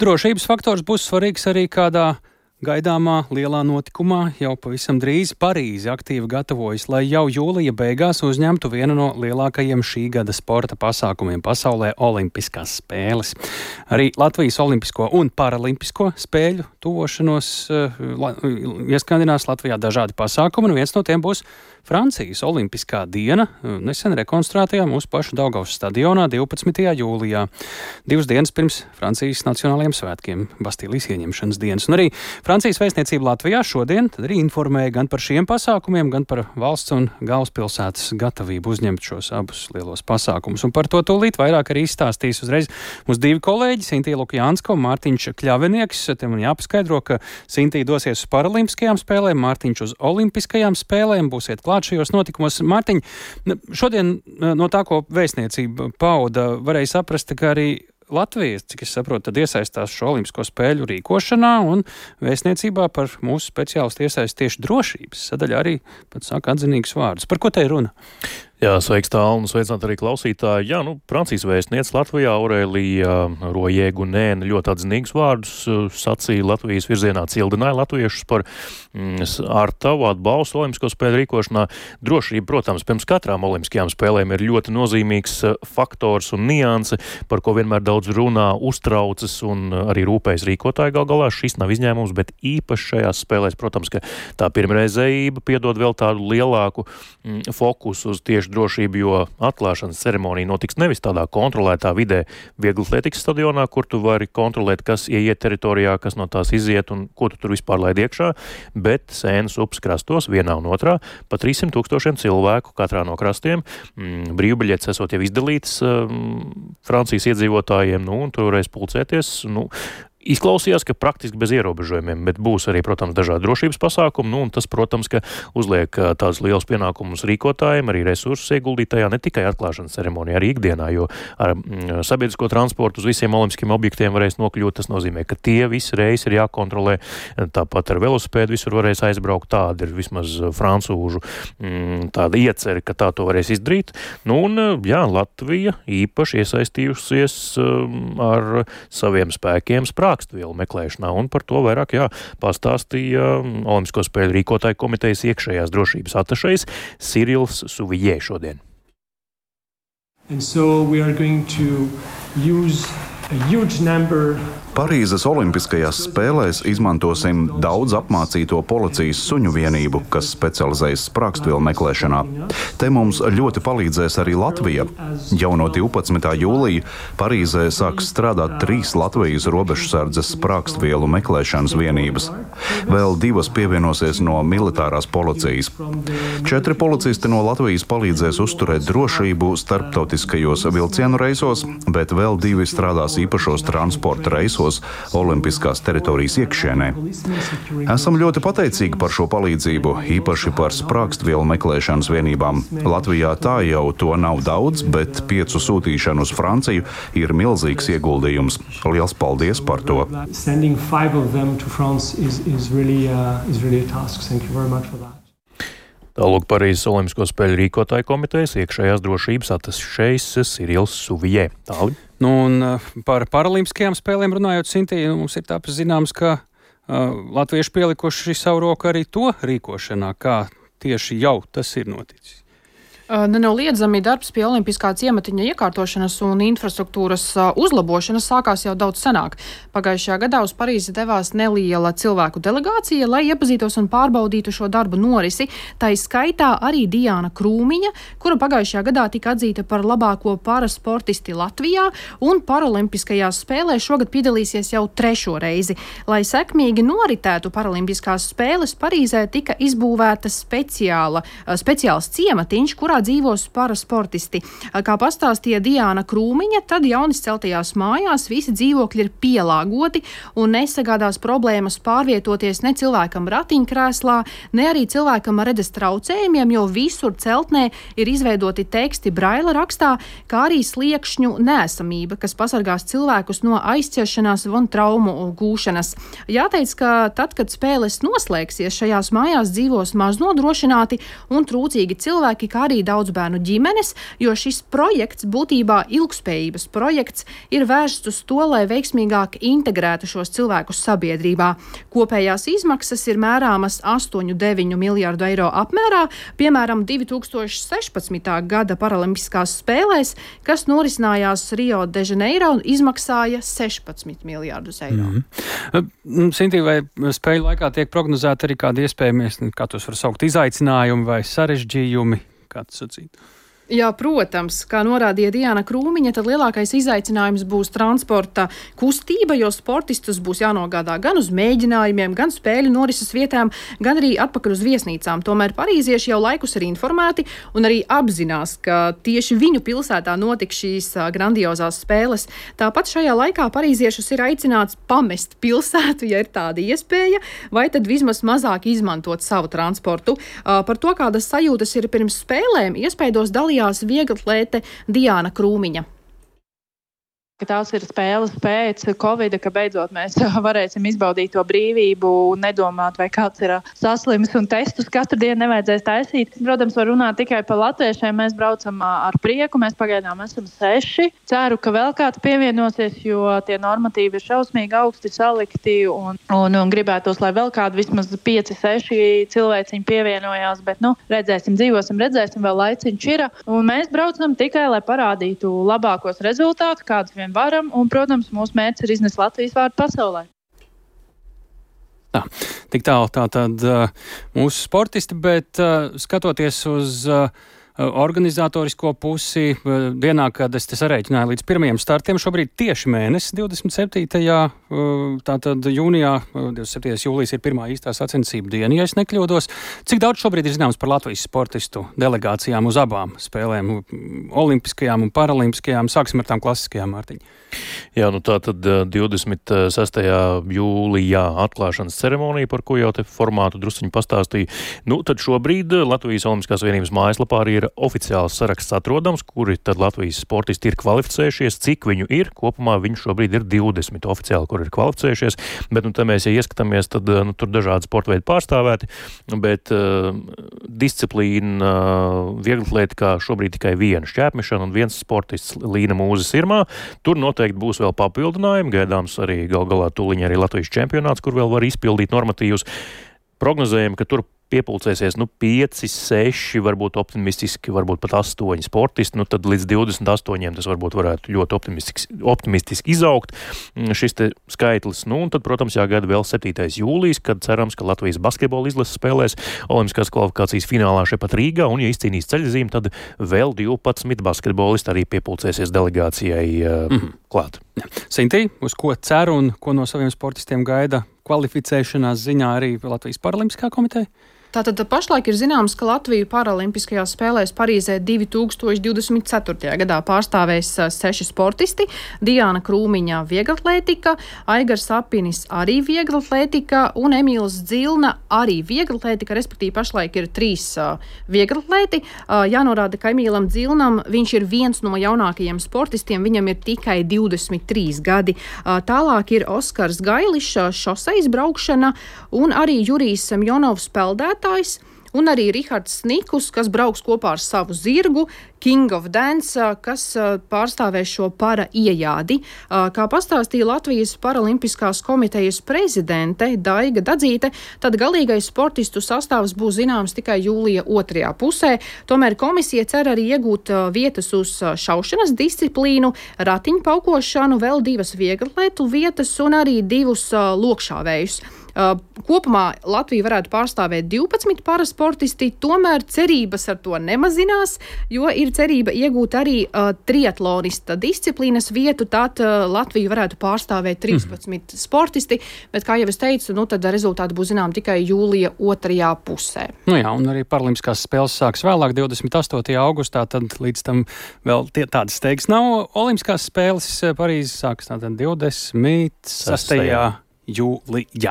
Drošības faktors būs svarīgs arī kādā gaidāmā lielā notikumā. Jau pavisam drīz Parīze aktīvi gatavojas, lai jau jūlija beigās uzņemtu vienu no lielākajiem šī gada sporta pasākumiem pasaulē - Olimpiskās spēles. Arī Latvijas Olimpisko un Paralimpisko spēļu tuvošanos ieskandinās Latvijā dažādi pasākumi, un viens no tiem būs Francijas Olimpiskā diena, nesen rekonstruētajā mūsu pašu Daugavas stadionā 12. jūlijā, 2 dienas pirms Francijas nacionālajiem svētkiem, Bastīlijas ieņemšanas dienas. Un arī Francijas vēstniecība Latvijā šodien tad arī informēja gan par šiem pasākumiem, gan par valsts un galvaspilsētas gatavību uzņemt šos abus lielos pasākumus. Un par to tūlīt vairāk arī izstāstīs uzreiz mūsu 2 kolēģi, Sintīja Lukjānska un Mārtiņš Kļavinieks. Te man jāpaskaidro, ka Sintīja dosies uz Paralimpiskajām spēlēm, Mārtiņš uz Olimpiskajām spēlēm, būsiet klāt šajos notikumos. Mārtiņ, šodien no tā, ko vēstniecība pauda, varēja saprast, ka arī Latvija, cik es saprotu, tad iesaistās šo olimpisko spēļu rīkošanā, un vēstniecībā par mūsu speciālistu iesaist tieši drošības sadaļā arī pat saka atzinīgus vārdus. Par ko te ir runa? Jā, sveiks tālu un sveicināt arī klausītāji. Jā, Francijas vēstniece Latvijā Aurēlija Rojegunēna ļoti atzinīgus vārdus sacīja Latvijas virzienā, cildināja latviešus par ar tavu atbalstu olimpisko spēļu rīkošanā. Drošība, protams, pirms katrām olimpiskajām spēlēm ir ļoti nozīmīgs faktors un nianse, par ko vienmēr daudz runā, uztraucas un arī rūpējas rīkotāji gal galā. Šis nav izņēmums, bet īpaši šajās spēlēs, protams, ka tā pirmreizējība piedod vēl tādu lielāku fokusu uz tieši drošību, jo atklāšanas ceremonija notiks nevis tādā kontrolētā vidē vieglatlētikas stadionā, kur tu vari kontrolēt, kas ieiet teritorijā, kas no tās iziet un ko tu tur vispār laid iekšā, bet Sēnas upes krastos vienā un otrā pa 300 000 cilvēku katrā no krastiem. Brīvbiļetes esot jau izdalītas Francijas iedzīvotājiem, un tur varēs pulcēties, Izklausījās, ka praktiski bez ierobežojumiem, bet būs arī, protams, dažādi drošības pasākumi, un tas, protams, ka uzliek tādus lielus pienākumus rīkotājiem, arī resursus ieguldītajā, ne tikai atklāšanas ceremonijā, arī ikdienā, jo ar sabiedrisko transportu uz visiem olimpiskiem objektiem varēs nokļūt. Tas nozīmē, ka tie visi reisi ir jākontrolē, tāpat ar velosipēdu visur varēs aizbraukt, tāda ir vismaz francūžu tāda ieceri, ka tā to varēs izdarīt. Latvija īpaši iesaistījusies ar saviem spēkiem sprākstvielu meklēšanā, un par to vairāk pastāstīja Olimpisko spēļu rīkotāju komitejas iekšējās drošības atašejs Cyrils Souvillé šodien. And so we are going to use a huge number. Parīzes Olimpiskajās spēlēs izmantosim daudz apmācīto policijas suņu vienību, kas specializējas sprākstvielu meklēšanā. Te mums ļoti palīdzēs arī Latvija. Jau no 12. jūlija Parīzē sāks strādāt 3 Latvijas robežsardzes sprākstvielu meklēšanas vienības. Vēl 2 pievienosies no militārās policijas. 4 policisti no Latvijas palīdzēs uzturēt drošību starptautiskajos vilcienu reisos, bet vēl 2 strādās īpašos transporta reisos Olimpiskās teritorijas iekšienē. Esam ļoti pateicīgi par šo palīdzību, īpaši par sprākstvielu meklēšanas vienībām. Latvijā tā jau to nav daudz, bet 5 sūtīšanu uz Franciju ir milzīgs ieguldījums. Liels paldies par to! Sending 5 of them to France is really a task. Thank you very much for that. Tālūk Parīzes Olimpisko spēļu rīkotāju komitejas iekšējās drošības atašejs Cyrils Souvillé. Tāli. Un par paralimpiskajām spēlēm runājot, Sintīja, mums ir tāpēc zināms, ka latvieši pielikuši savu roku arī to rīkošanā, kā tieši jau tas ir noticis. Nenoliedzami darbs pie olimpiskā ciematiņa iekārtošanas un infrastruktūras uzlabošanas sākās jau daudz senāk. Pagājušajā gadā uz Parīzi devās neliela cilvēku delegācija, lai iepazītos un pārbaudītu šo darbu norisi. Tā skaitā arī Diāna Krūmiņa, kura pagājušajā gadā tika atzīta par labāko parasportisti Latvijā, un paralimpiskajās spēlēs šogad piedalīsies jau 3. reizi. Lai sekmīgi noritētu paralimpiskās spēles, Parīzē tika izbūvēta speciāls ciematiņš, kurā dzīvos parasportisti. Kā pastāstīja Diāna Krūmiņa, tad jaunis celtajās mājās visi dzīvokļi ir pielāgoti un nesagādās problēmas pārvietoties ne cilvēkam ratiņkrēslā, ne arī cilvēkam ar redzes traucējumiem, jo visur celtnē ir izveidoti teksti braila rakstā, kā arī sliekšņu neesamība, kas pasargās cilvēkus no aizķeršanās un traumu gūšanas. Jāteic, ka tad, kad spēles noslēgsies, šajās mājās dzīvos maz nodrošināti un trūcīgi cilvēki, kā arī arī daudzbērnu ģimenes, jo šis projekts, būtībā ilgspējības projekts, ir vērsts uz to, lai veiksmīgāk integrētu šos cilvēkus sabiedrībā. Kopējās izmaksas ir mērāmas 8–9 miljārdu eiro apmērā, piemēram, 2016. gada paralimpiskās spēlēs, kas norisinājās Rio de Janeiro, izmaksāja 16 miljārdus eiro. Sintī, vai spēļu laikā tiek prognozēta arī kādi iespējamies, kā tos var saukt, izaicinājumi vai sarežģījumi, kā tas sacīt? Jā, protams, kā norādīja Diana Krūmiņa, tad lielākais izaicinājums būs transporta kustība, jo sportistus būs jānogādā gan uz mēģinājumiem, gan spēļu norises vietām, gan arī atpakaļ uz viesnīcām. Tomēr parīzieši jau laikus ir informēti un arī apzinās, ka tieši viņu pilsētā notiks šīs grandiozās spēles. Tāpat šajā laikā parīziešus ir aicināts pamest pilsētu, ja ir tāda iespēja, vai tad vismaz mazāk izmantot savu transportu. Par to, kādas sajūtas ir pirms spēlēm, iespējos dalījās vieglatlēte Diana Krūmiņa. Tās ir spēles pēc Covida, ka beidzot mēs varēsim izbaudīt to brīvību un nedomāt, vai kāds ir saslims un testus katru dienu nevajadzēs taisīt. Protams, var runāt tikai par latviešiem. Mēs braucam ar prieku, mēs pagaidām esam 6. Ceru, ka vēl kāds pievienosies, jo tie normatīvi ir šausmīgi augsti salikti un gribētos, lai vēl kādu vismaz 5–6 cilvēciņi pievienojās, bet redzēsim, redzēsim, vēl laiciņš ir. Un mēs braucam tikai, lai parādītu labākos rezultātus, kādus vien varam, un, protams, mūsu mērķis ir iznest Latvijas vārdu pasaulē. Tā, tik tālu tātad mūsu sportisti, bet skatoties uz organizatorisko pusi, dienā, kad es te sarēķināju līdz pirmajiem startiem, šobrīd tieši mēnesis 27. Tātad jūnijā, 27. jūlijas ir pirmā īstā sacensību diena, ja es nekļūdos. Cik daudz šobrīd ir zināms par Latvijas sportistu delegācijām uz abām spēlēm, olimpiskajām un paralimpiskajām? Sāksim ar tām klasiskajām, Mārtiņ. Jā, tātad 26. jūlijā atklāšanas ceremonija, par ko jau te formātu drusciņu pastāstīja. Tad šobrīd Latvijas Olimpiskās vienības mājaslapā arī ir oficiāls saraksts atrodams, kuri tad Latvijas sportisti ir kvalificējušies, cik viņu ir. Kopumā viņu šobrīd ir 20 oficiāli, kur ir kvalificējušies, bet te mēs, ja ieskatāmies, tad tur dažādi sporta veidi pārstāvēti, bet disciplīna vieglatlētikā šobrīd tikai viena šķēpmešana un viens sportists Līna Mūze-Sirmā. Tur noteikti būs vēl papildinājumi, gaidāms arī gal galā tūliņ arī Latvijas čempionāts, kur vēl var izpildīt normatīvus. Prognozējam, ka tur piepulcēsies 5, 6, varbūt optimistiski, varbūt pat 8 sportisti, tad līdz 28 tas varbūt varētu ļoti optimistiski izaugt šis te skaitlis. Un tad, protams, jāgaida vēl 7. jūlijas, kad cerams, ka Latvijas basketbola izlase spēlēs olimpiskās kvalifikācijas finālā šepat Rīgā, un, ja izcīnīs ceļzīmi, tad vēl 12 basketbolisti arī piepulcēsies delegācijai klāt. Sintī, uz ko cer un ko no saviem sportistiem gaida kvalificēšanās ziņā arī Latvijas paralimpiskā komiteja? Tātad pašlaik ir zināms, ka Latviju paralimpiskajās spēlēs Parīzē 2024. gadā pārstāvēs 6 sportisti. Diana Krūmiņa vieglatlētika, Aigars Apinis arī vieglatlētika un Emīls Dzilna arī vieglatlētika, respektīvi pašlaik ir 3 vieglatlēti. Jānorāda, ka Emīlam Dzilnam viņš ir viens no jaunākajiem sportistiem, viņam ir tikai 23 gadi. Tālāk ir Oskars Gailišs, šoseis braukšana, un arī Jurijs Semjonovs peldētājs, un arī Rihards Snikus, kas brauks kopā ar savu zirgu, King of Dance, kas pārstāvēs šo para iejādi. Kā pastāstīja Latvijas paralimpiskās komitejas prezidente Daiga Dadzīte, tad galīgais sportistu sastāvs būs zināms tikai jūlija 2. pusē. Tomēr komisija cer arī iegūt vietas uz šaušanas disciplīnu, ratiņpaukošanu, vēl 2 vieglatlētu vietas un arī 2 lokšāvējus. Kopumā Latvija varētu pārstāvēt 12 parasportisti, tomēr cerības ar to nemazinās, jo ir cerība iegūt arī triatlonista disciplīnas vietu, tad Latviju varētu pārstāvēt 13 sportisti, bet, kā jau es teicu, tad rezultāti būs zinām tikai jūlija 2. pusē. Jā, un arī paralimpiskās spēles sāks vēlāk, 28. augustā, tad līdz tam vēl tādas steigas nav. Olimpiskās spēles Parīzes sāks tātad 26. jūlijā.